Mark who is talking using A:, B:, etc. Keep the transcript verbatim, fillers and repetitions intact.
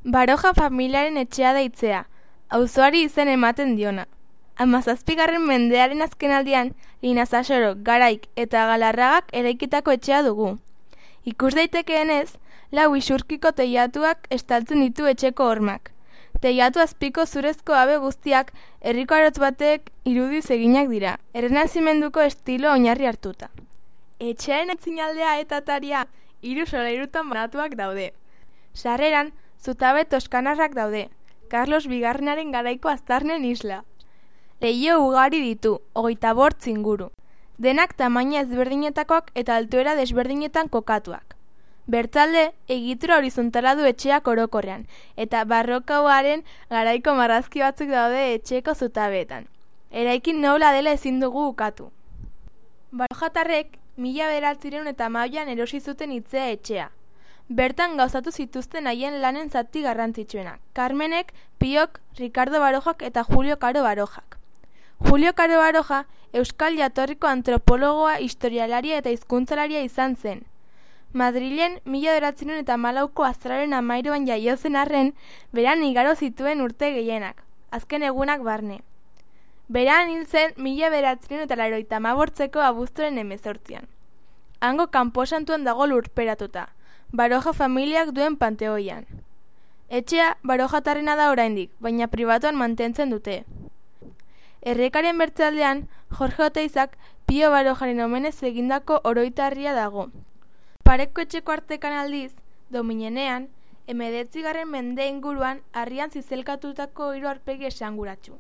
A: Baroja familiaren etxea deitzea, auzoari izen ematen diona. Hamazazpigarren mendearen azkenaldian, Linazasoro, Garaik eta Galarragak eraikitako etxea dugu. Ikus daitekeenez, lau isurkiko teilatuak estaltzen ditu etxeko hormak. Teilatu azpiko zurezko habe guztiak herriko arotz batek irudiz eginak dira, errenazimenduko estilo oinarri hartuta. Etxearen atzinaldea eta ataria hiru solairutan banatuak daude. Sarreran, zutabe toskanarrak daude, Carlos Bigarrenaren garaiko aztarnen isla. Leiho ugari ditu, hogeita bortz inguru. Denak tamaina ezberdinetakoak eta altuera desberdinetan kokatuak. Bertzalde, egitura horizontala du etxeak orokorrean, eta barrokoaren garaiko marrazki batzuk daude etxeko zutabeetan. Eraikin nola dela ezin dugu ukatu. Barojatarrek, mila bederatziehun eta hamabian erosi zuten hitzea etxea. Bertan gauzatu zituzten haien lanen zati garrantzitsuenak, Carmenek, Piok, Ricardo Barojak eta Julio Caro Barojak. Julio Caro Baroja, euskal jatorriko antropologoa, historialaria eta hizkuntzalaria izan zen. Madrilen mila bederatziehun eta hamalauko azaroaren hamairuan jaio zen arren, beran igaro zituen urte gehienak, azken egunak barne. Beran hil zen mila bederatziehun eta laurogeita hamabortzeko abuztuaren hemezortzian. Hango kanposantuan dago lurperatuta, Baroja familiak duen panteoian. Etxea barojatarrena da oraindik, baina pribatuan mantentzen dute. Errekaren bertzaldean, Jorge Oteizak Pio Barojaren omenez egindako oroitarria dago. Pareko etxeko artekan aldiz, dominenean, hemeretzigarren mende inguruan harrian zizelkatutako hiru aurpegi esanguratsu.